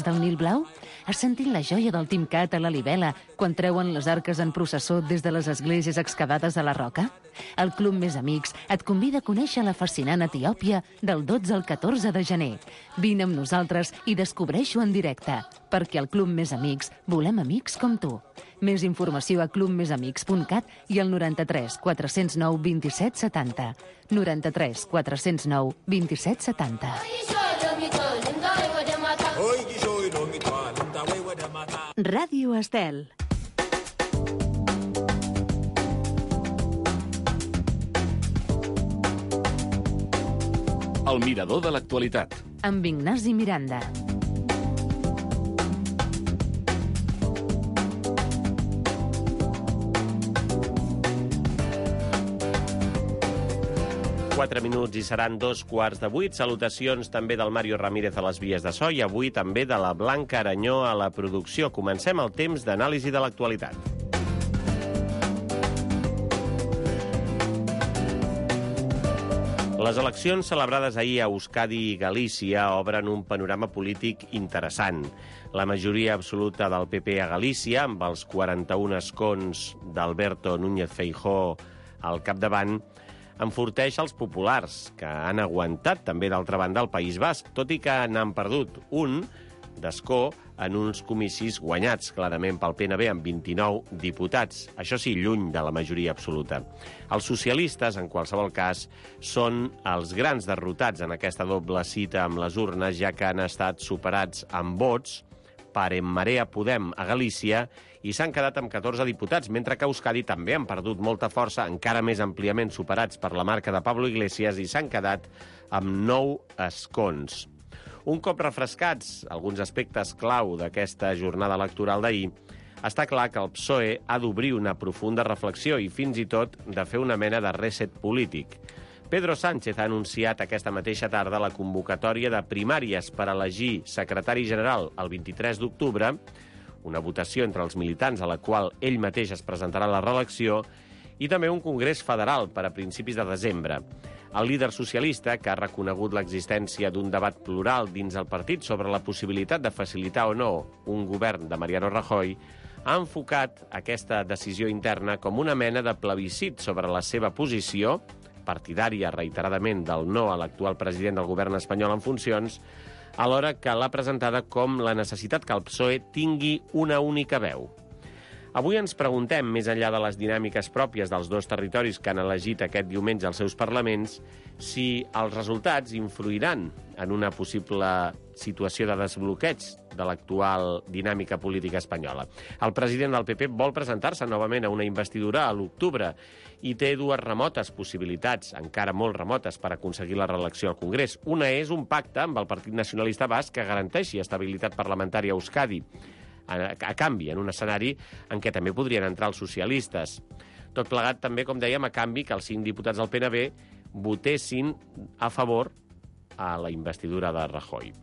Cases del Nil Blau? Has sentit la joia del Timcat a la Libela quan treuen les arques en processó des de les esglésies excavades a la roca? El Club Més Amics et convida a conèixer la fascinant Etiòpia del 12 al 14 de gener. Vine amb nosaltres i descobreix-ho en directe, perquè al Club Més Amics volem amics com tu. Més informació a clubmesamics.cat i al 93 409 27 70. 93 409 27 70. Ràdio Estel. El mirador de l'actualitat. Amb Ignasi Miranda. Quatre minuts i seran 7:15. Salutacions també del Mario Ramírez a les vies de so i avui també de la Blanca Aranyó a la producció. Comencem el temps d'anàlisi de l'actualitat. Les eleccions celebrades ahir a Euskadi i Galícia obren un panorama polític interessant. La majoria absoluta del PP a Galícia, amb els 41 escons d'Alberto Núñez Feijóo al capdavant, enforteix els populars, que han aguantat també d'altra banda el País Basc, tot i que n'han perdut un d'escó en uns comicis guanyats clarament pel PNB amb 29 diputats. Això sí, lluny de la majoria absoluta. Els socialistes, en qualsevol cas, són els grans derrotats en aquesta doble cita amb les urnes, ja que han estat superats amb vots per En Marea Podem a Galícia i s'han quedat amb 14 diputats, mentre que a Euskadi també han perdut molta força, encara més àmpliament superats per la marca de Pablo Iglesias, i s'han quedat amb 9 escons. Un cop refrescats alguns aspectes clau d'aquesta jornada electoral d'ahir, està clar que el PSOE ha d'obrir una profunda reflexió i fins i tot de fer una mena de reset polític. Pedro Sánchez ha anunciat aquesta mateixa tarda la convocatòria de primàries per elegir secretari general el 23 d'octubre, una votació entre els militants a la qual ell mateix es presentarà a la reelecció, i també un congrés federal per a principis de desembre. El líder socialista, que ha reconegut l'existència d'un debat plural dins el partit sobre la possibilitat de facilitar o no un govern de Mariano Rajoy, ha enfocat aquesta decisió interna com una mena de plebiscit sobre la seva posició, partidària reiteradament del no a l'actual president del govern espanyol en funcions, alhora que l'ha presentada com la necessitat que el PSOE tingui una única veu. Avui ens preguntem, més enllà de les dinàmiques pròpies dels dos territoris que han elegit aquest diumenge els seus parlaments, si els resultats influiran en una possible situació de desbloqueig de l'actual dinàmica política espanyola. El president del PP vol presentar-se novament a una investidura a l'octubre i té dues remotes possibilitats, encara molt remotes, per aconseguir la reelecció al Congrés. Una és un pacte amb el Partit Nacionalista Basc que garanteixi estabilitat parlamentària a Euskadi, a canvi, en un escenari en què també podrien entrar els socialistes. Tot plegat també, com dèiem, a canvi que els 5 diputats del PNB votessin a favor a la investidura de Rajoy.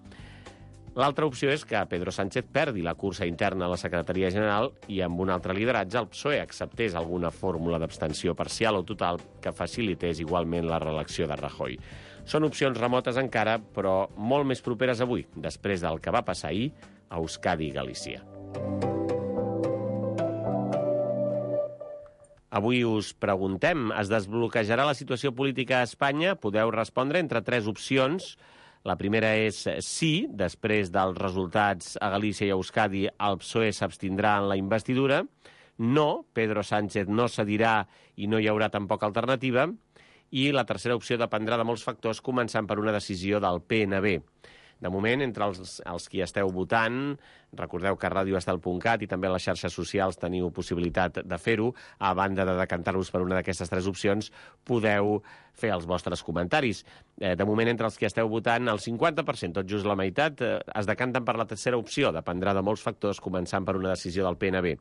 L'altra opció és que Pedro Sánchez perdi la cursa interna a la secretaria general i amb un altre lideratge el PSOE acceptés alguna fórmula d'abstenció parcial o total que facilités igualment la reelecció de Rajoy. Són opcions remotes encara, però molt més properes avui, després del que va passar ahir a Euskadi i Galícia. Avui us preguntem, es desbloquejarà la situació política a Espanya? Podeu respondre entre 3 opcions. La primera és sí, després dels resultats a Galícia i a Euskadi, el PSOE s'abstindrà en la investidura. No, Pedro Sánchez no cedirà i no hi haurà tampoc alternativa. I la tercera opció dependrà de molts factors, començant per una decisió del PNB. De moment, entre els qui esteu votant, recordeu que a radioestel.cat i també a les xarxes socials teniu possibilitat de fer-ho. A banda de decantar-vos per una d'aquestes 3 opcions, podeu fer els vostres comentaris. De moment, entre els que esteu votant, el 50%, tot just la meitat, es decanten per la tercera opció. Dependrà de molts factors, començant per una decisió del PNB.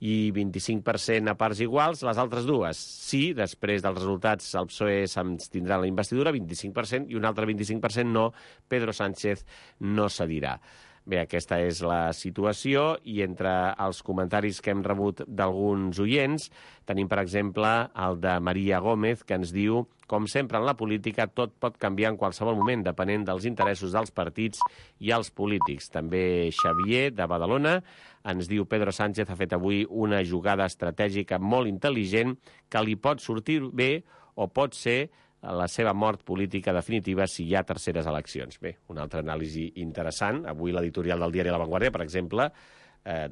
I 25% a parts iguals, les altres dues. Sí, després dels resultats, el PSOE s'abstindrà en la investidura, 25%, i un altre 25% no, Pedro Sánchez no cedirà. Bé, aquesta és la situació i entre els comentaris que hem rebut d'alguns oients tenim, per exemple, el de Maria Gómez, que ens diu: com sempre en la política, tot pot canviar en qualsevol moment, depenent dels interessos dels partits i els polítics. També Xavier, de Badalona, ens diu: Pedro Sánchez ha fet avui una jugada estratègica molt intel·ligent que li pot sortir bé o pot ser la seva mort política definitiva si hi ha terceres eleccions. Bé, una altra anàlisi interessant. Avui l'editorial del diari La Vanguardia, per exemple,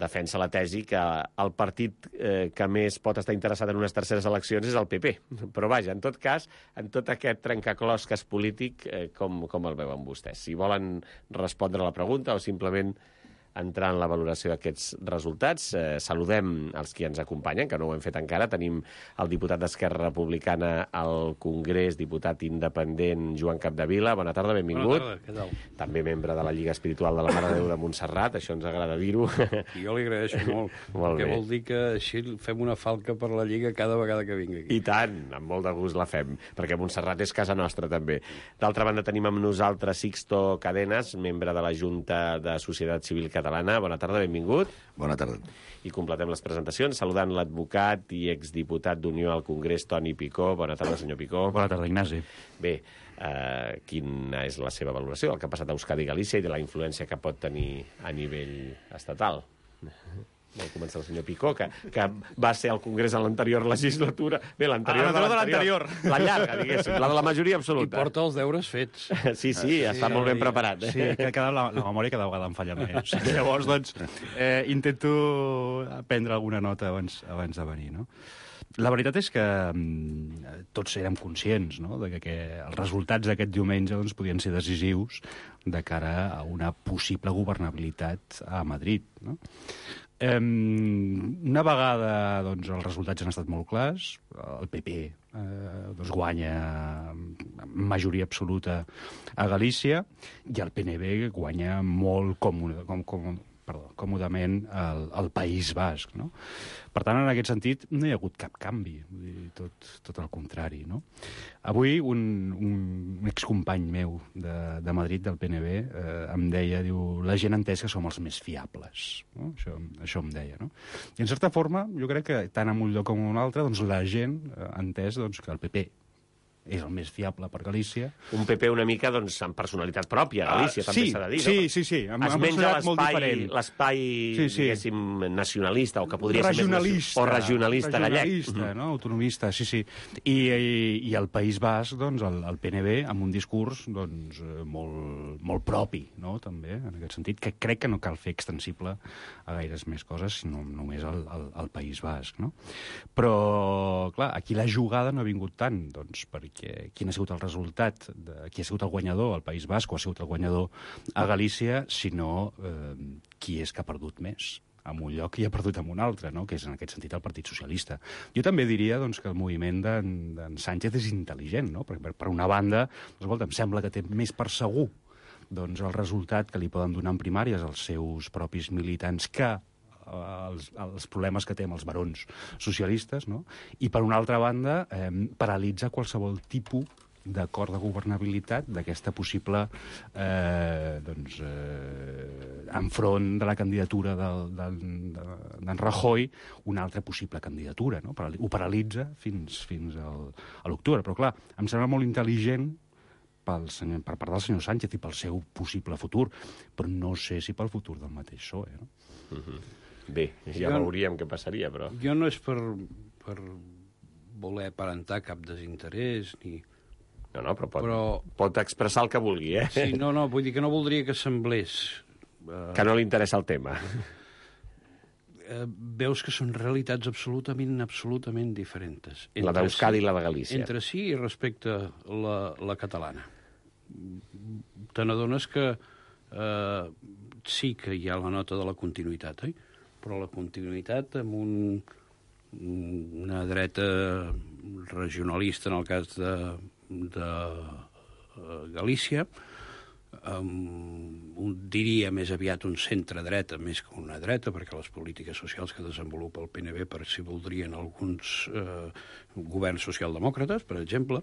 defensa la tesi que el partit que més pot estar interessat en unes terceres eleccions és el PP. Però vaja, en tot cas, en tot aquest trencaclosques polític, com el veuen vostès? Si volen respondre a la pregunta o simplement entrar en la valoració d'aquests resultats, saludem els qui ens acompanyen, que no ho hem fet encara. Tenim el diputat d'Esquerra Republicana al Congrés, diputat independent, Joan Capdevila. Bona tarda, benvingut. Bona tarda, què tal? També membre de la Lliga Espiritual de la Mare de Déu de Montserrat, això ens agrada dir-ho. I jo li agraeixo molt, Molt perquè bé. vol dir que així fem una falca per la Lliga cada vegada que vingui aquí. I tant, amb molt de gust la fem, perquè Montserrat és casa nostra també. D'altra banda tenim amb nosaltres Sixto Cadenas, membre de la Junta de Societat Civil Catalana. Bona tarda, benvingut. Bona tarda. I completem les presentacions saludant l'advocat i exdiputat d'Unió al Congrés, Toni Picó. Bona tarda, senyor Picó. Bona tarda, Ignasi. Bé, quina és la seva valoració del que ha passat a Euskadi i Galícia i de la influència que pot tenir a nivell estatal? Vol començar el senyor Picó, que va ser al Congrés en l'anterior legislatura. Bé, l'anterior de l'anterior. La llarga, diguéssim, la de la majoria I absoluta. porta els deures fets. Sí, està molt ben preparat. Sí, la memòria cada vegada em falla més. Llavors, doncs, intento prendre alguna nota abans de venir, no? La veritat és que tots érem conscients, no?, de que els resultats d'aquest diumenge doncs, podien ser decisius de cara a una possible governabilitat a Madrid, no? Una vegada doncs, els resultats han estat molt clars, el PP doncs, guanya amb majoria absoluta a Galícia i el PNV guanya molt còmodament al País Basc, no? Per tant, en aquest sentit, no hi ha hagut cap canvi, tot el contrari, no? Avui un excompany meu de Madrid, del PNV, em deia, diu, la gent ha entès que som els més fiables, no? Això em deia, no? I en certa forma, jo crec que tant en un lloc com en un altre, doncs la gent ha entès doncs, que el PP és el més fiable per Galícia. Un PP una mica, doncs, amb personalitat pròpia, Galícia, també s'ha de dir, no? Sí. Es menja l'espai, diguéssim, nacionalista, o que podria ser més... O regionalista gallec. Regionalista, no? Autonomista, sí. I el País Basc, doncs, el PNV, amb un discurs, doncs, molt propi, no?, també, en aquest sentit, que crec que no cal fer extensible a gaires més coses, sinó només al País Basc, no? Però, clar, aquí la jugada no ha vingut tant, doncs, perquè quin ha sigut el resultat, qui ha sigut el guanyador al País Basc o ha sigut el guanyador a Galícia, sinó qui és que ha perdut més en un lloc i ha perdut en un altre, no?, que és en aquest sentit el Partit Socialista. Jo també diria doncs, que el moviment d'en Sánchez és intel·ligent, no? Perquè per una banda, escolta, em sembla que té més per segur doncs, el resultat que li poden donar en primàries als seus propis militants que els problemes que té amb els barons socialistes, no? I, per una altra banda, paralitza qualsevol tipus d'acord de governabilitat d'aquesta possible enfront de la candidatura d'en Rajoy, una altra possible candidatura, no? Ho paralitza fins a l'octubre. Però, clar, em sembla molt intel·ligent per part del senyor Sánchez i pel seu possible futur, però no sé si pel futur del mateix PSOE, no? Bé, ja veuríem què passaria, però... Jo no és per voler aparentar cap desinterès, ni... No, però pot expressar el que vulgui, eh? Sí, no, vull dir que no voldria que semblés... Que no li interessa el tema. Veus que són realitats absolutament diferents. La d'Euskadi i la de Galícia. Entre si i respecte la catalana. Te n'adones que sí que hi ha la nota de la continuïtat, però la continuïtat amb una dreta regionalista, en el cas de Galícia, diria més aviat un centre-dreta més que una dreta, perquè les polítiques socials que desenvolupa el PNV per si voldrien alguns governs socialdemòcrates, per exemple,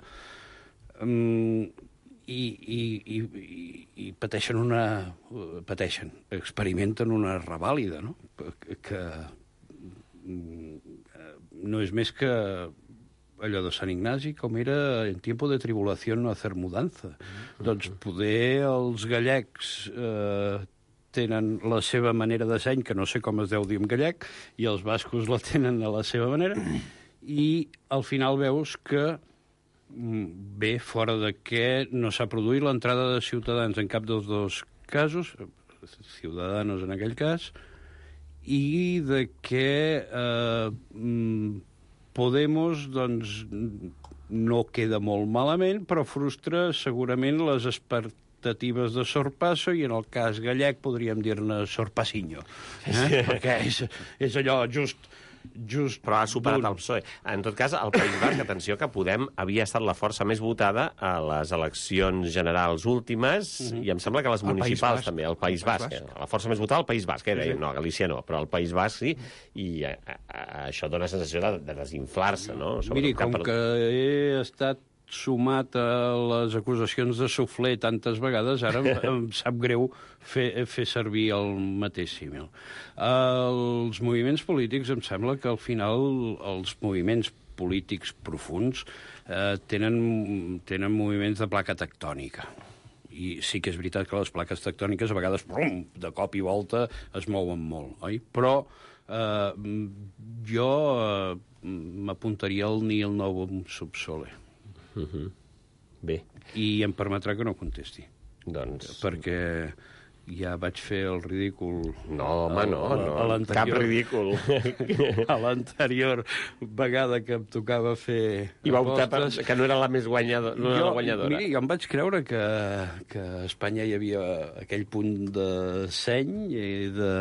i experimenten una revàlida, no? Que no és més que allò de Sant Ignasi, com era en tiempo de tribulació no hacer mudanza. Doncs poder els gallecs tenen la seva manera de seny, que no sé com es deu dir en gallec, i els bascos la tenen a la seva manera, i al final veus que bé, fora de què no s'ha produït l'entrada de Ciutadans en cap dels dos casos, Ciudadanos en aquell cas, i de què Podemos, doncs, no queda molt malament, però frustra segurament les expectatives de Sorpasso, i en el cas gallec podríem dir-ne Sorpasinho. Perquè és allò just... Però ha superat el PSOE. En tot cas, al País Basc, atenció, que Podem havia estat la força més votada a les eleccions generals últimes, i em sembla que les municipals també, al País Basc. La força més votada al País Basc, no, a Galícia no, però al País Basc sí, i això dona sensació de desinflar-se, no? Miri, com que he estat sumat a les acusacions de suflé tantes vegades, ara em sap greu fer servir el mateix símil. Els moviments polítics, em sembla que al final els moviments polítics profuns tenen moviments de placa tectònica. I sí que és veritat que les plaques tectòniques a vegades, de cop i volta, es mouen molt, oi? Però jo m'apuntaria al Nil Novum Subsole. Bé. I em permetrà que no contesti. Doncs... Perquè ja vaig fer el ridícul... No, home, no. Cap ridícul. A l'anterior vegada que em tocava fer I va optar que no era la més guanyadora. No era la guanyadora. Miri, jo em vaig creure que a Espanya hi havia aquell punt de seny i de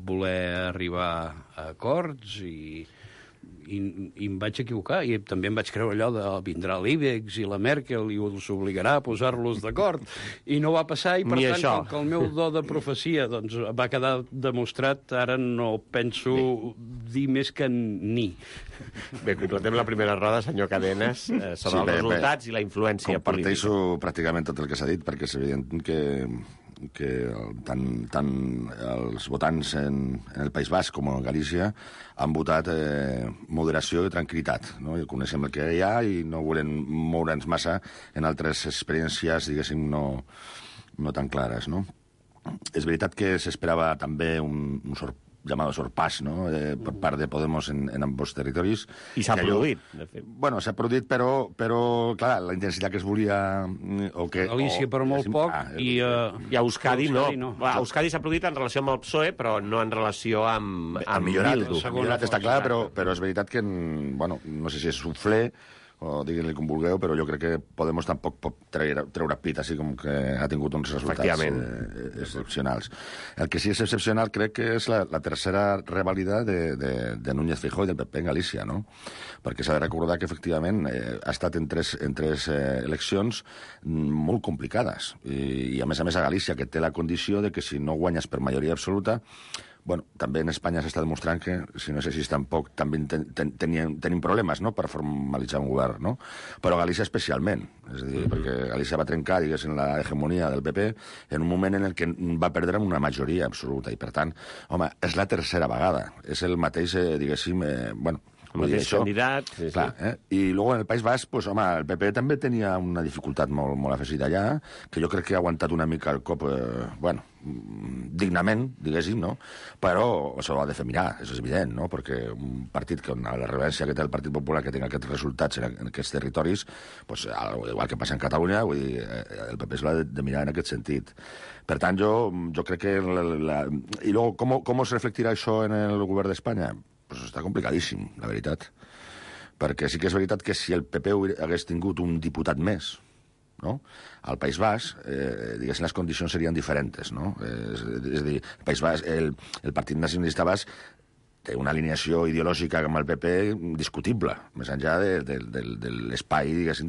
voler arribar a acords i em vaig equivocar, i també em vaig creure allò de vindrà l'Ibex i la Merkel i us obligarà a posar-los d'acord, i no va passar, i per tant, com que el meu do de profecia doncs, va quedar demostrat, ara no penso dir més que ni. Bé, completem la primera roda, senyor Cadenes, sobre els resultats i la influència política. Comparteixo pràcticament tot el que s'ha dit, perquè és evident que tant els votants en el País Basc com en Galícia han votat moderació i tranquil·litat, no? I coneixem el que hi ha i no volem moure'ns massa en altres experiències, diguéssim, no tan clares, no? És veritat que s'esperava també un llamado sorpàs, no?, per part de Podemos en ambos territoris. I s'ha produït, de fet. Bueno, s'ha produït, però clar, la intensitat que es volia... Galícia, però molt poc, i a Euskadi no. A Euskadi s'ha produït en relació amb el PSOE, però no en relació amb Bildu. Millorat està clar, però és veritat que, bueno, no sé si és suflé, o diguin-li com vulgueu, però jo crec que Podemos tampoc pot treure pit, així com que ha tingut uns resultats excepcionals. El que sí és excepcional crec que és la tercera revàlida de Núñez Feijóo i del PP en Galícia, no? Perquè s'ha de recordar que, efectivament, ha estat en tres eleccions molt complicades. I a més a Galícia, que té la condició de que si no guanyes per majoria absoluta, bueno, també en Espanya s'està demostrant que, si no és així tampoc, també tenim problemes, no?, per formalitzar un govern, no? Però Galícia especialment, és a dir, perquè Galícia va trencar, diguéssim, la hegemonia del PP en un moment en el que va perdre amb una majoria absoluta, i per tant, home, és la tercera vegada, és el mateix, diguéssim, bueno, el mateix candidat. Clar, I luego en el País Basc, pues, home, el PP també tenia una dificultat molt afegida allà, que jo crec que ha aguantat una mica el cop, bueno, dignament, diguéssim, no? Però s'ho ha de fer mirar, és evident, no? Perquè un partit que, la rellevància que té el Partit Popular, que tinga aquests resultats en aquests territoris, pues, igual que passa en Catalunya, vull dir, el PP s'ho ha de mirar en aquest sentit. Per tant, jo crec que... I luego, com es reflectirà això en el govern d'Espanya? Pues està complicadíssim, la veritat. Perquè sí que és veritat que si el PP hagués tingut un diputat més, no?, al País Basc, diguéssim, les condicions serien diferents, no? És a dir, el País Basc, el Partit Nacionalista Basc té una alineació ideològica amb el PP discutible, més enllà de l'espai, diguéssim,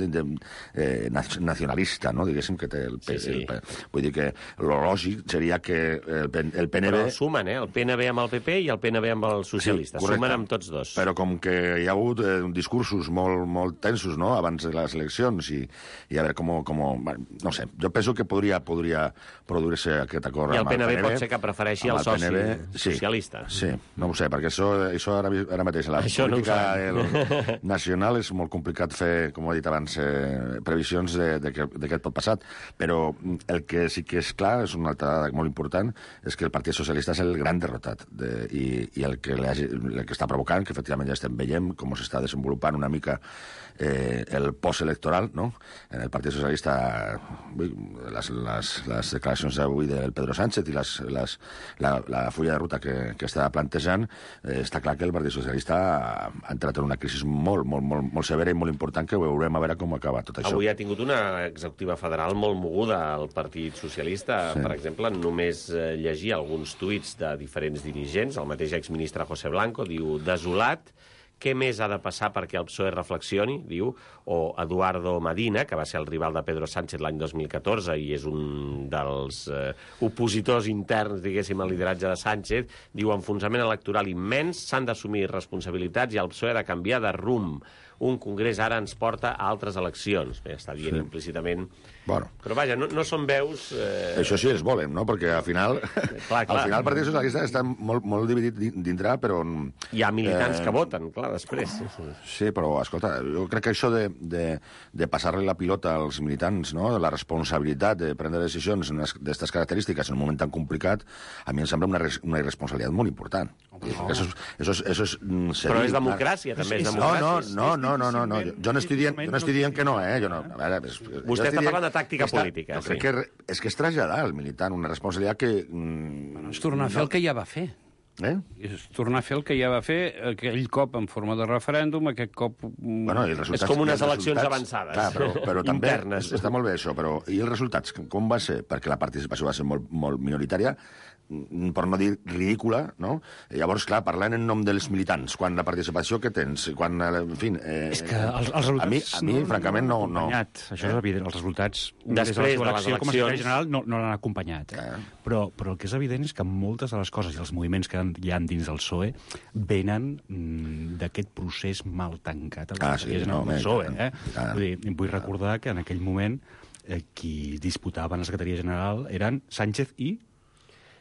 nacionalista, no? Diguéssim que té el PP. Vull dir que el lògic seria que el PNV... Però sumen, el PNV amb el PP i el PNV amb els socialistes. Sí, sumen amb tots dos. Però com que hi ha hagut discursos molt tensos, no?, abans de les eleccions, i a veure com... No sé, jo penso que podria produir-se aquest acord amb el PNV. I el PNV pot ser que prefereixi el soci socialista. Sí, no ho sé, perquè això ara mateix, la política nacional és molt complicat fer, com he dit abans, previsions de què pot passar. Però el que sí que és clar, és una altra dada molt important, és que el Partit Socialista és el gran derrotat i el que està provocant, que efectivament ja estem veient com s'està desenvolupant una mica el postelectoral, no? En el Partit Socialista, les declaracions d'avui del Pedro Sánchez i la fulla de ruta que està plantejant, està clar que el Partit Socialista ha entrat en una crisi molt severa i molt important, que veurem a veure com acaba tot això. Avui ha tingut una executiva federal molt moguda al Partit Socialista. Sí. Per exemple, només llegir alguns tuits de diferents dirigents. El mateix exministre José Blanco diu: desolat, què més ha de passar perquè el PSOE reflexioni, diu, o Eduardo Medina, que va ser el rival de Pedro Sánchez l'any 2014 i és un dels opositors interns, diguéssim, al lideratge de Sánchez, diu: enfonsament electoral immens, s'han d'assumir responsabilitats i el PSOE ha de canviar de rumb. Un congrés ara ens porta a altres eleccions. Bé, està dient implícitament... Bueno. Però vaja, no són veus... Això sí els volen, no? Perquè al final... Clar. Al final el Partit Socialista està molt dividit dintre, però... Hi ha militants que voten, clar, després. Sí, però, escolta, jo crec que això de passar-li la pilota als militants, no?, la responsabilitat de prendre decisions d'aquestes característiques en un moment tan complicat, a mi em sembla una irresponsabilitat molt important. Eso es però és democràcia, també és democràcia. No. Jo no estic dient que no, Vostè està parlant de tàctica política. Jo crec que és traslladar al militant una responsabilitat que... És tornar a fer el que ja va fer. És tornar a fer el que ja va fer aquell cop en forma de referèndum, aquest cop... És com unes eleccions avançades. Clar, però també està molt bé això, però i els resultats, com va ser? Perquè la participació va ser molt minoritària, per no dir ridícula, no? Llavors, clar, parlant en nom dels militants, quan la participació que tens, quan, en fi... És que els resultats... A mi francament, no... Això és evident, els resultats... Després de les eleccions... Com a secretari general no l'han acompanyat. Però el que és evident és que moltes de les coses i els moviments que hi ha dins del PSOE venen d'aquest procés mal tancat al PSOE. Vull recordar que en aquell moment qui disputaven la secretaria general eren Sánchez i...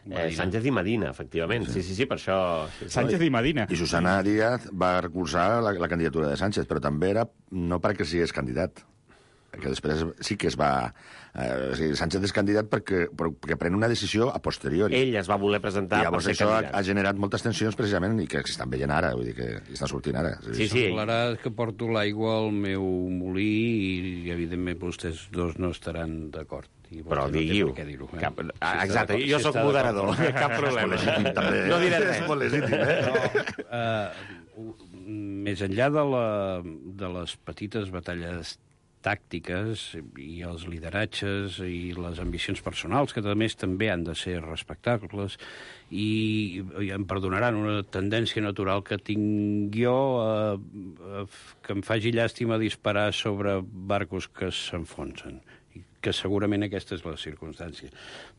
Sánchez i Medina, efectivament. Sí, per això... Sánchez i Medina. I Susana Díaz va recolzar la candidatura de Sánchez, però també era no perquè sigués candidat, que després sí que es va... Sánchez és candidat perquè pren una decisió a posteriori. Ell es va voler presentar per ser candidat. Això ha generat moltes tensions precisament i que s'estan veient ara, vull dir que estan sortint ara. Sí. Semblarà que porto l'aigua al meu molí i evidentment vostès dos no estaran d'acord. Però digui-ho. Exacte, jo sóc moderador, cap problema. No diré res. És molt legítim, Més enllà de les petites batalles tàctiques i els lideratges i les ambicions personals, que a més també han de ser respectables, i em perdonaran una tendència natural que tinc jo que em faci llàstima disparar sobre barcos que s'enfonsen, que segurament aquesta és la circumstància.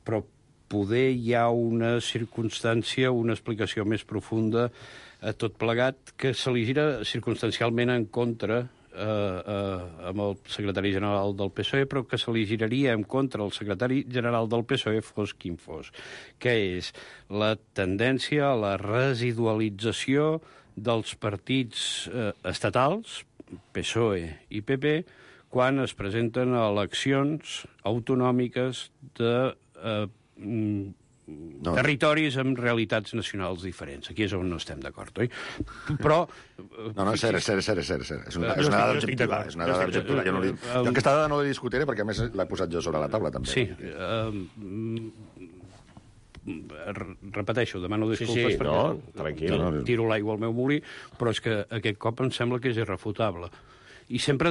Però poder hi ha una circumstància, una explicació més profunda a tot plegat, que se li gira circumstancialment en contra amb el secretari general del PSOE, però que se li giraria en contra el secretari general del PSOE fos quin fos, que és la tendència a la residualització dels partits estatals, PSOE i PP, quan es presenten a eleccions autonòmiques de territoris amb realitats nacionals diferents. Aquí és on no estem d'acord, oi? Però... No, cert. És una dada objectiva. És una dada objectiva. Jo aquesta dada no la discutiré perquè, a més, l'he posat jo sobre la taula, també. Sí. Repeteixo, demano disculpes perquè tranquil. Tiro l'aigua al meu molí, però és que aquest cop em sembla que és irrefutable. I sempre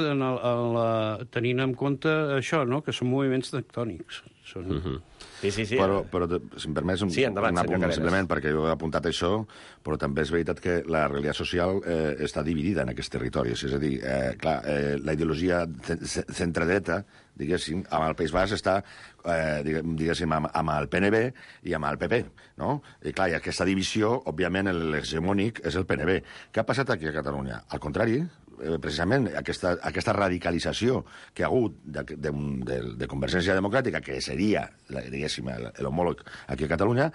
tenint en compte això, no?, que són moviments tectònics. Sí. Però si em permets, endavant, senyor Carreras. simplement, perquè jo he apuntat això, però també és veritat que la realitat social està dividida en aquests territoris. És a dir, la ideologia centredreta, diguéssim, amb el País Basc està, diguéssim, amb el PNB i amb el PP, no? I clar, i aquesta divisió, òbviament, l'hegemònic és el PNB. Què ha passat aquí a Catalunya? Al contrari, precisament aquesta radicalització que ha hagut de Convergència Democràtica, que seria, diguéssim, l'homòleg aquí a Catalunya,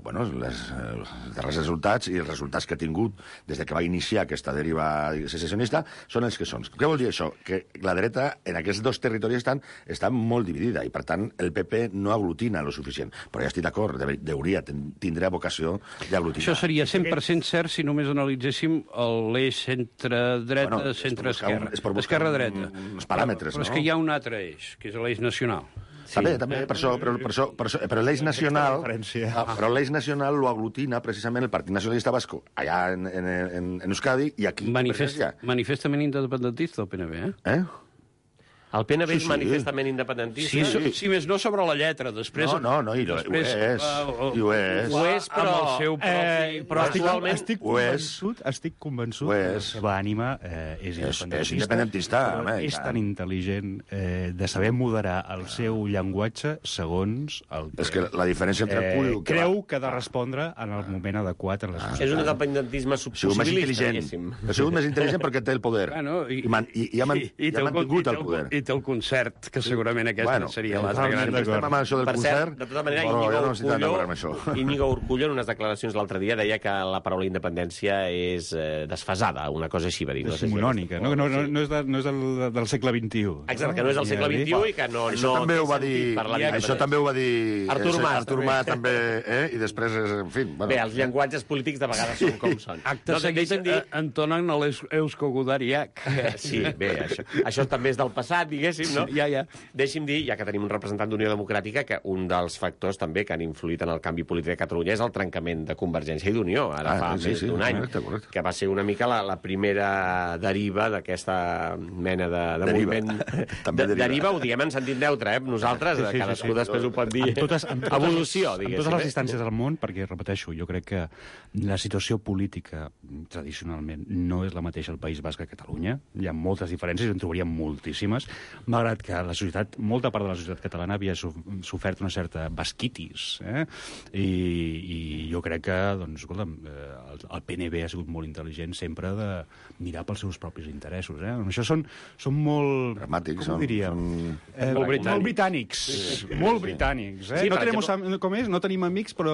bueno, els darrers resultats i els resultats que ha tingut des que va iniciar aquesta deriva secessionista són els que són. Què vol dir això? Que la dreta en aquests dos territoris està molt dividida i, per tant, el PP no aglutina lo suficient. Però ja estic d'acord, tindrà vocació d'aglutinar. Això seria 100% cert si només analitzéssim l'eix centre-dreta, centre-esquerra. Esquerra-dreta. Uns paràmetres, no? Però és que hi ha un altre eix, que és l'eix nacional. També, per això, però l'eix nacional... Però l'eix nacional lo aglutina precisament el Partit Nacionalista Vasco, allà en Euskadi, i aquí... Manifestament independentista, el PNB, eh? El PNB és manifestament independentista? Sí, més no sobre la lletra. Després, no, i ho és. Ho és, però... Amb el seu propi... Però actualment... Estic convençut que la seva ànima és independentista. És independentista. És tan intel·ligent de saber moderar el seu llenguatge segons el que... És que la diferència entre el punt... Creu que ha de respondre en el moment adequat en la societat. És un independentisme subpossibilista, diguéssim. Ha sigut més intel·ligent perquè té el poder. I ha mantingut el poder. I té el concert, que segurament aquesta seria l'altra gran... Estem amb això del concert, de tota manera, Íñigo Urkullu en unes declaracions l'altre dia deia que la paraula independència és desfasada, una cosa així va dir. És simonònica, no és del segle XXI. Exacte, que no és del segle XXI i que no això també ho va dir Artur Mas, també, i després, en fi... Bé, els llenguatges polítics de vegades són com són. Acte seguit entonen l'Eusko Gudariak. Sí, bé, això també és del passat, diguéssim, no? Ja. Deixi'm dir, ja que tenim un representant d'Unió Democràtica, que un dels factors també que han influït en el canvi polític de Catalunya és el trencament de Convergència i d'Unió, ara fa més d'un any, que va ser una mica la primera deriva d'aquesta mena de moviment. Deriva ho diem en sentit neutre, nosaltres, cadascú després ho pot dir. Evolució, diguéssim. En totes les distàncies del món, perquè, repeteixo, jo crec que la situació política tradicionalment no és la mateixa al País Basc que a Catalunya. Hi ha moltes diferències, en trobaríem moltíssimes, malgrat que la societat, molta part de la societat catalana havia sofert una certa basquitis, i jo crec que, doncs, escolta'm, el PNB ha sigut molt intel·ligent sempre de mirar pels seus propis interessos, Això són molt... Dramàtics, com ho diríem? Molt britànics. Molt britànics, No tenim amics, però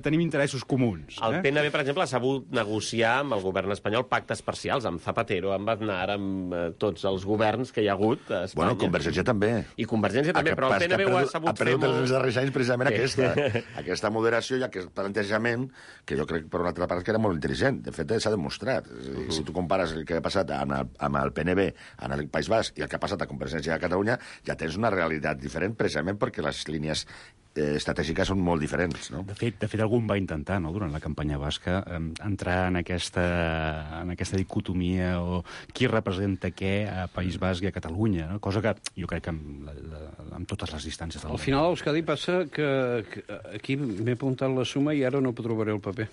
tenim interessos comuns. El PNB, per exemple, ha sabut negociar amb el govern espanyol pactes parcials, amb Zapatero, amb Aznar, amb tots els governs que hi ha hagut a Espanya. Bueno, Convergència també. I Convergència també, però el PNB ho ha sabut fer molt... Ha perdut els darrers anys precisament aquesta moderació i aquest plantejament, que jo crec, per una altra part, que era molt intel·ligent. De fet, s'ha demostrat. Si tu compares el que ha passat amb el PNB en el País Basc i el que ha passat a Convergència a Catalunya, ja tens una realitat diferent, precisament perquè les línies estratègiques són molt diferents, no? De fet, algun va intentar, no?, durant la campanya basca, entrar en aquesta dicotomia o qui representa què a País Basc i a Catalunya, no? Cosa que jo crec que amb totes les distàncies del Al final, a Euskadi passa que aquí m'he apuntat la suma i ara no trobaré el paper.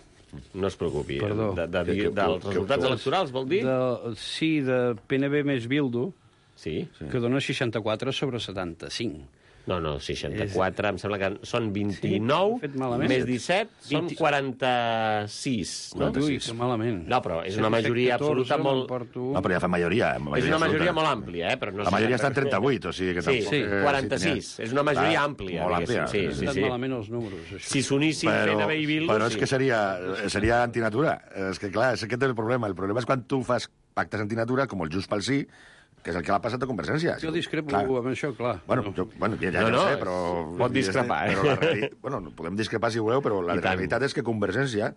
No es preocupi. Perdó. Dels resultats electorals, vol dir? Sí, de PNB més Bildu, Sí. que dona 64 sobre 75. No, 64, em sembla que són 29, més 17, són 46. No? Ui, que malament. No, però és una majoria absoluta molt... No, però ja fa majoria. És una majoria molt àmplia, però no... La majoria està en 38, o sigui que tampoc... Sí, 46. És una majoria àmplia, diguéssim. Sí. Estan malament els números, això. Si s'unissin PNB i Bildu... Però és que seria antinatura. És que, clar, és aquest el problema. El problema és quan tu fas pactes antinatura, com el Junts pel Sí, que és el que l'ha passat a Convergència. Jo discrepo amb això, clar. Bueno, ja no sé, però... Pot discrepar, Bueno, podem discrepar si voleu, però la realitat és que Convergència,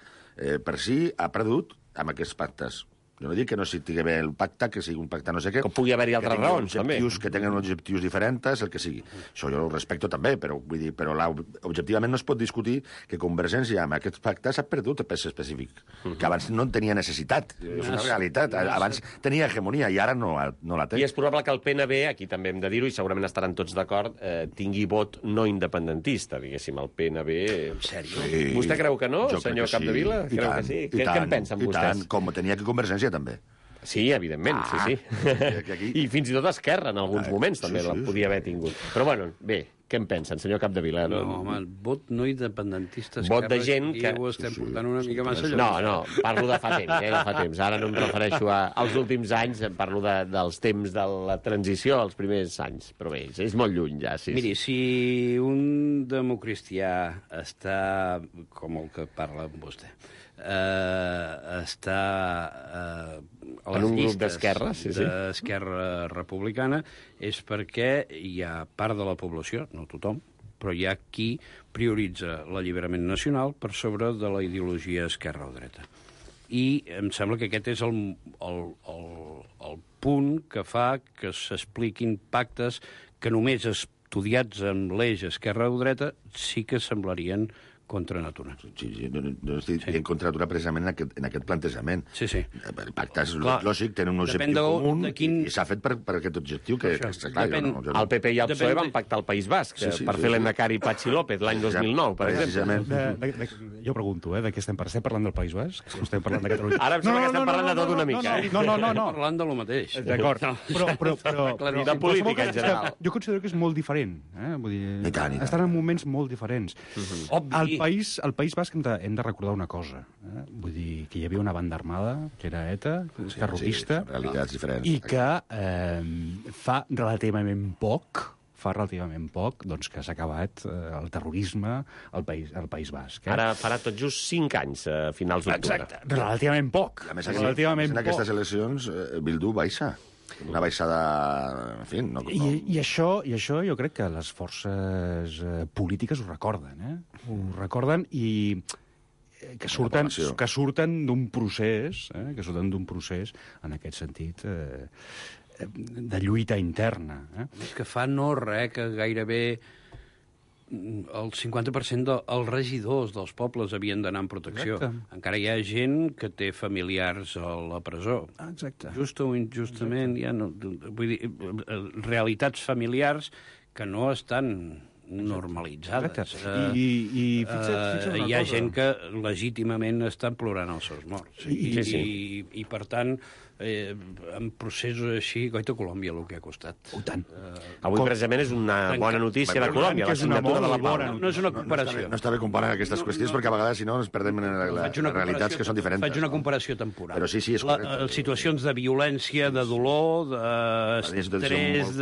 per si, ha perdut amb aquests pactes. Jo no dic que no estigui bé el pacte, que sigui un pacte no sé què... Que pugui haver-hi altres raons, també. Que tenen objectius diferents, el que sigui. Això jo ho respecto també, però objectivament no es pot discutir que Convergència amb aquests pactes ha perdut el pes específic, que abans no en tenia necessitat. És una realitat. Abans tenia hegemonia i ara no la té. I és probable que el PNB, aquí també hem de dir-ho, i segurament estaran tots d'acord, tingui vot no independentista, diguéssim, el PNB... En sèrio? Sí. Vostè creu que no, senyor Capdevila? Creu que sí? Què en pensen vostès? I tant, com tenia que Convergència també. Sí, evidentment, sí. I fins i tot Esquerra, en alguns moments, també la podia haver tingut. Però, bueno, bé, què en pensen, senyor Capdevila? No, home, vot no independentista, vot de gent que... ho estem portant una mica massa lluny. No, parlo de fa temps, de fa temps. Ara no em refereixo als últims anys, parlo dels temps de la transició, als primers anys. Però bé, és molt lluny ja, sí. Miri, si un democristià està, com el que parla amb vostè, està a les en un grup llistes d'Esquerra, d'Esquerra Republicana, és perquè hi ha part de la població, no tothom, però hi ha qui prioritza l'alliberament nacional per sobre de la ideologia esquerra o dreta. I em sembla que aquest és el punt que fa que s'expliquin pactes que només estudiats amb l'eix esquerra o dreta sí que semblarien contra natura. Sí, no estic en contra natura precisament en aquest plantejament. Sí. El pacte és lògic, tenen un objectiu comú i s'ha fet per aquest objectiu que està clar. El PP i el PSOE van pactar el País Basc per fer l'Endacari Patxi López l'any 2009, per exemple. Jo pregunto, de què estem parlant? Estem parlant del País Basc? O estem parlant de Catalunya? Ara em sembla que estem parlant de tot una mica. No. Parlant de lo mateix. D'acord. Però de política en general. Jo considero que és molt diferent. Vull dir, estan en moments molt diferents. Obvi. Al País Basc hem de recordar una cosa. Vull dir que hi havia una banda armada, que era ETA, terrorista, realitats diferents. I que fa relativament poc doncs, que s'ha acabat el terrorisme al País Basc. Ara farà tot just 5 anys, a finals d'octubre. Exacte, relativament poc. A més, en aquestes eleccions, Bildu baixa. Una baixada... En fi, no... I això jo crec que les forces polítiques ho recorden, Ho recorden i que surten d'un procés, en aquest sentit, de lluita interna. És que fa no res que gairebé el 50% dels regidors dels pobles havien d'anar en protecció. Exacte. Encara hi ha gent que té familiars a la presó. Exacte. Just o injustament, vull dir, realitats familiars que no estan normalitzades. I fixa't una hi ha cosa. gent que legítimament està plorant els seus morts. I per tant, en processos així, goita Colòmbia el que ha costat. Tant. Avui, precisament, és una bona notícia de Colòmbia, la signatura de la pau. No és una comparació. No està bé comparar aquestes qüestions perquè a vegades, si no, ens perdem en les realitats que són diferents. Faig una comparació temporal. Però sí, és correcte. Situacions de violència, de dolor, d'estrès,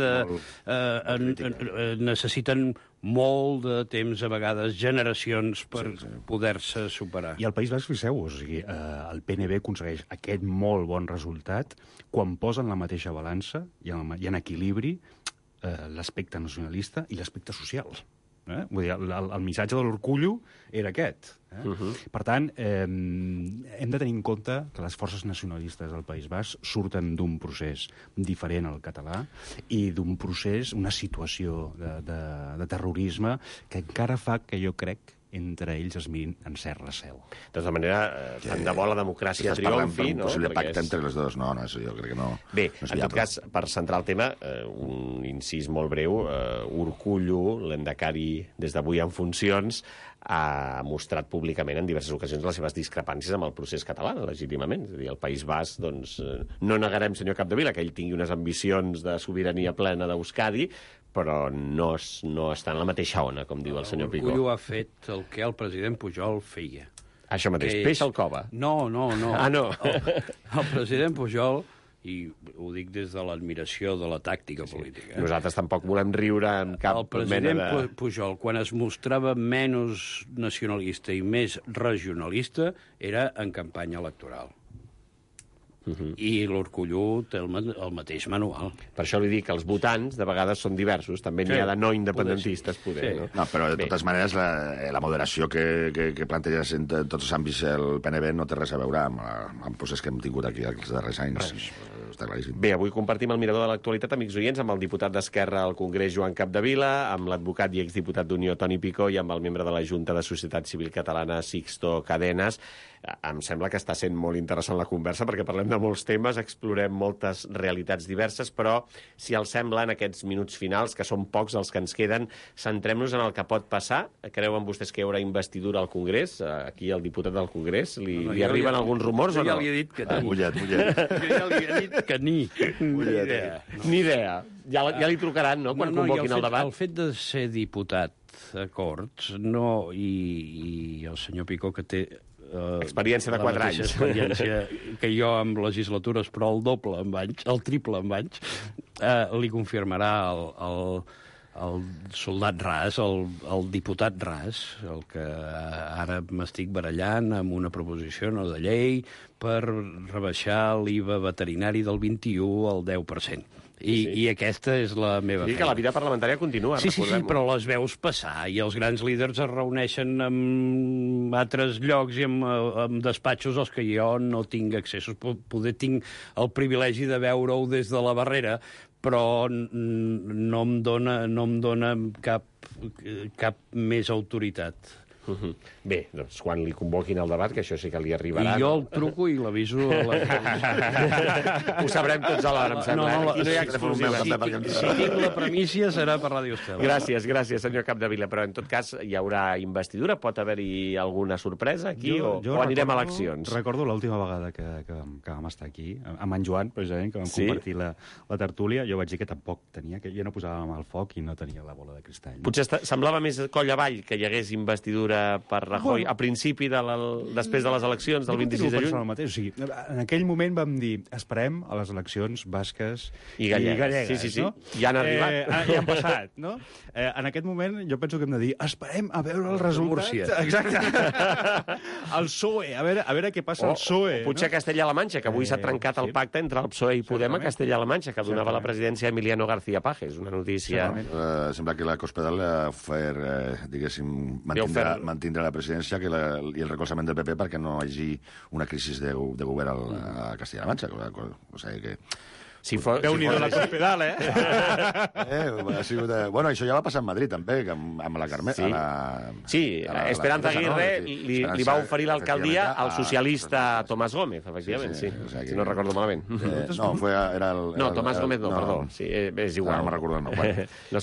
necessiten molt de temps, a vegades generacions, per poder-se superar. I al País Basc, fixeu-vos, el PNB aconsegueix aquest molt bon resultat quan posen la mateixa balança i en equilibri l'aspecte nacionalista i l'aspecte social. Vull dir, el missatge de l'orcullo era aquest. Per tant, hem de tenir en compte que les forces nacionalistes del País Basc surten d'un procés diferent al català i d'un procés, una situació de terrorisme que encara fa que jo crec entre ells es mirin en cert recel. De tota manera, tant de bo la democràcia triomfi, no? Un possible pacte entre les dues. No, això jo crec que no. Bé, en tot cas, per centrar el tema, un incís molt breu, Urkullu, l'Endacari, des d'avui en funcions, ha mostrat públicament en diverses ocasions les seves discrepàncies amb el procés català, legítimament. És a dir, el País Basc, doncs, no negarem, senyor Capdevila, que ell tingui unes ambicions de sobirania plena d'Euskadi, però no està en la mateixa ona, com diu el senyor Picó. Urkullu ha fet el que el president Pujol feia. Això mateix, peix al cova. No. Ah, no. El president Pujol, i ho dic des de l'admiració de la tàctica política. Nosaltres tampoc volem riure amb cap mena de... El president Pujol, quan es mostrava menys nacionalista i més regionalista, era en campanya electoral. I l'Orcolló té el mateix manual. Per això li dic que els votants de vegades són diversos, també n'hi ha de no independentistes, poder. Sí. No? No, però de totes maneres la moderació que planteges en tots els àmbits el PNB no té res a veure amb el procés que hem tingut aquí els darrers anys. Està claríssim. Bé, avui compartim el mirador de l'actualitat, amics oients, amb el diputat d'Esquerra al Congrés, Joan Capdevila, amb l'advocat i exdiputat d'Unió, Toni Picó, i amb el membre de la Junta de Societat Civil Catalana, Sixto Cadenas. Em sembla que està sent molt interessant la conversa perquè parlem de molts temes, explorem moltes realitats diverses, però, si els sembla, en aquests minuts finals, que són pocs els que ens queden, centrem-nos en el que pot passar. Creuen vostès que hi haurà investidura al Congrés? Aquí el diputat del Congrés, li arriben alguns rumors o no? Jo ja li he dit que ni. Mullet. Jo ja li he dit que ni. Ni idea. Ja li trucaran, no?, quan convoquin el debat. El fet de ser diputat a Corts, no, i el senyor Picó, que té experiència de 4 anys. Experiència que jo amb legislatures, però el doble amb anys, el triple amb anys, li confirmarà el soldat ras, el diputat ras, el que ara m'estic barallant amb una proposició no de llei per rebaixar l'IVA veterinari del 21 al 10%. I aquesta és la meva feina. Que la vida parlamentària continua, sí, però les veus passar i els grans líders es reuneixen en altres llocs i en despatxos als que jo no tinc accessos. Poder tinc el privilegi de veure-ho des de la barrera, però no em dona cap més autoritat. Bé, doncs quan li convoquin el debat, que això sí que li arribarà. I jo el truco i l'aviso a la... Ho sabrem tots alhora, em sembla. Aquí no hi ha exclusiva. Si tinc la primícia serà per Ràdio Estel. Gràcies, senyor Capdevila. Però en tot cas hi haurà investidura? Pot haver-hi alguna sorpresa aquí o anirem a eleccions? Recordo l'última vegada que vam estar aquí, amb en Joan, precisament, que vam compartir la tertúlia. Jo vaig dir que tampoc tenia, que jo no posàvem el foc i no tenia la bola de cristall. Potser semblava més coll avall que hi hagués investidura per Rajoy a principi després de les eleccions del 26 de juny. O sigui, en aquell moment vam dir esperem a les eleccions basques i gallegues. Sí. No? Ja han arribat. Ja han passat, no? En aquest moment jo penso que hem de dir esperem a veure el resultat. Exacte. El PSOE, a veure què passa al PSOE. Potser a Castella-La Manxa, que avui s'ha trencat el pacte entre el PSOE i Podem a Castella-La Manxa, que donava la presidència a Emiliano García Pajes. Una notícia... Sembla que la Cospedal diguéssim, mantindre la presidència i el recolzament del PP perquè no hi hagi una crisi de govern a Castella-La Manxa. O sigui que... Déu-n'hi-do la Cospedal, Bueno, això ja va passar a Madrid, també, amb la Carme... Sí, Esperanza Aguirre li va oferir l'alcaldia al socialista Tomás Gómez, efectivament, sí. Si no recordo malament. No, Tomás Gómez no, perdó. És igual. No me'n recordo el nom.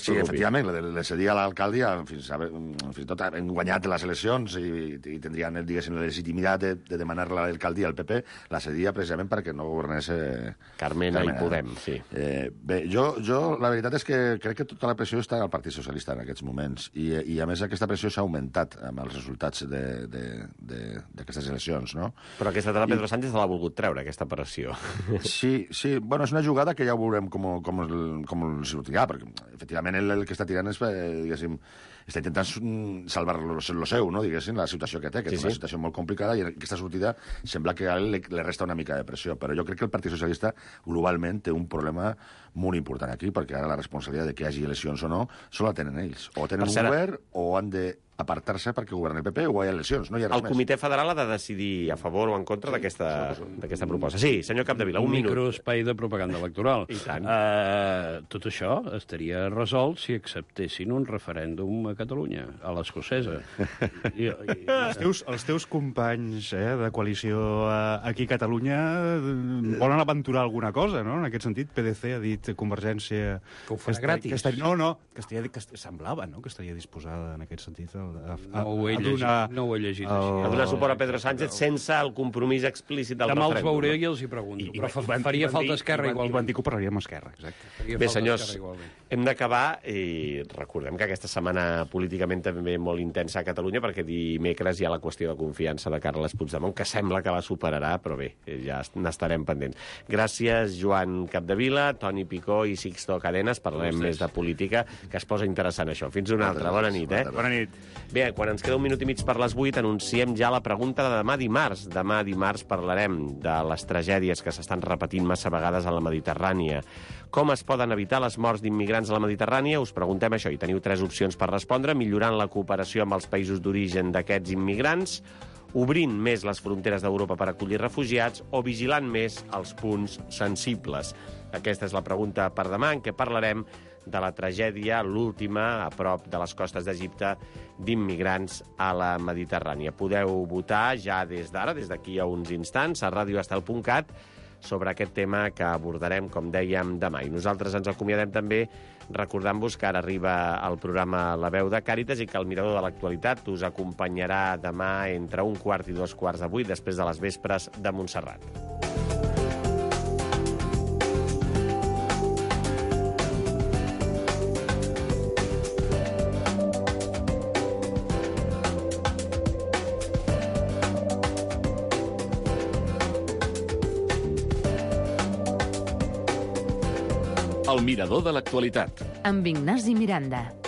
Sí, efectivament, le cedia a l'alcaldia, fins i tot han guanyat les eleccions i tindrien, diguéssim, la legitimitat de demanar l'alcaldia al PP, la cedia precisament perquè no governés Carmena i Podem, sí. Bé, jo la veritat és que crec que tota la pressió està al Partit Socialista en aquests moments i a més aquesta pressió s'ha augmentat amb els resultats d'aquestes eleccions, no? Però aquesta de Pedro Sánchez l'ha volgut treure, aquesta pressió. Sí, bueno, és una jugada que ja veurem com el sortirà, perquè efectivament el que està tirant és, diguéssim, està intentant salvar lo seu, no, diguéssim, la situació que té, que és una situació molt complicada i aquesta sortida sembla que a ell li resta una mica de pressió, però jo crec que el Partit Socialista globalment té un problema molt important aquí, perquè ara la responsabilitat de que hi hagi eleccions o no sols la tenen ells. O tenen un govern o han d'apartar-se perquè governi el PP o hi ha eleccions, no hi ha res més. El Comitè Federal ha de decidir a favor o en contra d'aquesta proposta. Sí, senyor Capdevila, un minut. Microespai de propaganda electoral. I tant. Tot això estaria resolt si acceptessin un referèndum a Catalunya, a l'escocesa. Els teus companys de coalició aquí a Catalunya volen aventurar alguna cosa, no? En aquest sentit, PDC ha dit Convergència... Que ho farà gratis. Que semblava, no?, que estaria disposada en aquest sentit no ho he llegit així. A donar suport a Pedro Sánchez sense el compromís explícit del referèndum. Demà els veuré i els hi pregunto. Però faria falta Esquerra igualment. I van dir que ho parlaríem amb Esquerra, exacte. Bé, senyors, hem d'acabar i recordem que aquesta setmana políticament també molt intensa a Catalunya perquè dimecres hi ha la qüestió de confiança de Carles Puigdemont, que sembla que la superarà, però bé, ja n'estarem pendents. Gràcies, Joan Capdevila, Toni Picó i Sixto Cadenas. Parlarem més de política, que es posa interessant això. Fins una altra. Bona nit, Bona nit. Bé, quan ens queda un minut i mig per les 8, anunciem ja la pregunta de demà dimarts. Demà dimarts parlarem de les tragèdies que s'estan repetint massa vegades a la Mediterrània. Com es poden evitar les morts d'immigrants a la Mediterrània? Us preguntem això i teniu 3 opcions per respondre. Millorant la cooperació amb els països d'origen d'aquests immigrants, obrint més les fronteres d'Europa per acollir refugiats o vigilant més els punts sensibles. Aquesta és la pregunta per demà, en què parlarem de la tragèdia, l'última, a prop de les costes d'Egipte, d'immigrants a la Mediterrània. Podeu votar ja des d'ara, des d'aquí a uns instants, a radioestel.cat, sobre aquest tema que abordarem, com dèiem, demà. I nosaltres ens acomiadem també recordant-vos que ara arriba el programa La Veu de Càritas i que el Mirador de l'Actualitat us acompanyarà demà entre 1:15 i 2:15, després de les vespres de Montserrat. El Mirador de l'Actualitat. Amb Ignasi Miranda.